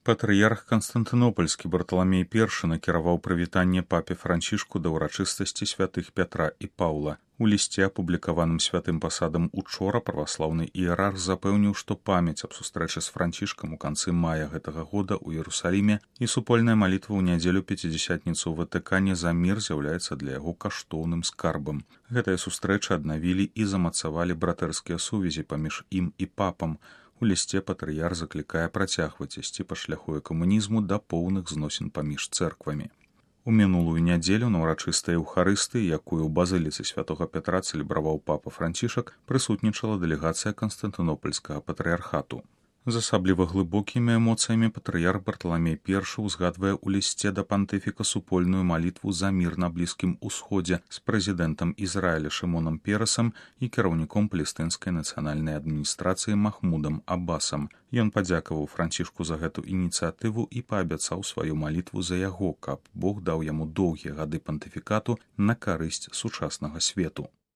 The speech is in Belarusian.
Патрыярх Канстантынопольскі Барталамей I накіраваў прывітанне папе Францішку да ўрачыстасці святых Пятра і Паўла. У лісце, апублікаваным святым пасадам учора, праваслаўны іерарх запэўніў, што памяць аб сустрэчы з Францішкам у канцы мая гэтага года ў Іерусаліме і супольная малітва ў нядзелю пяцідзясятніцу ў Ватыкане за мір з'яўляецца для яго каштоўным скарбам. Гэтыя сустрэчы аднавілі і замацавалі братэрскія сувязі паміж ім і папам. У лісце патрыярх заклікае працягваць ісці па шляху камунізму да поўных зносін паміж цэрквамі. У мінулую нядзелю на ўрачыстай эўхарыстыі, якую ў базыліцы святога Пятра цэлебраваў папа Францішак, прысутнічала дэлегацыя Канстантынопольскага патрыярхату. З асабліва глыбокімі эмоцыямі патрыярх Барталамей I узгадвае ў лісце да пантыфіка супольную малітву за мір на Блізкім Усходзе з прэзідэнтам Ізраіля Шымонам Перасам і кіраўніком палестынскай нацыянальнай адміністрацыі Махмудам Аббасам. Ён падзякаваў Францішку за гэту ініцыятыву і паабяцаў сваю малітву за яго, каб Бог даў яму доўгія гады пантыфікату на карысць сучаснага свету.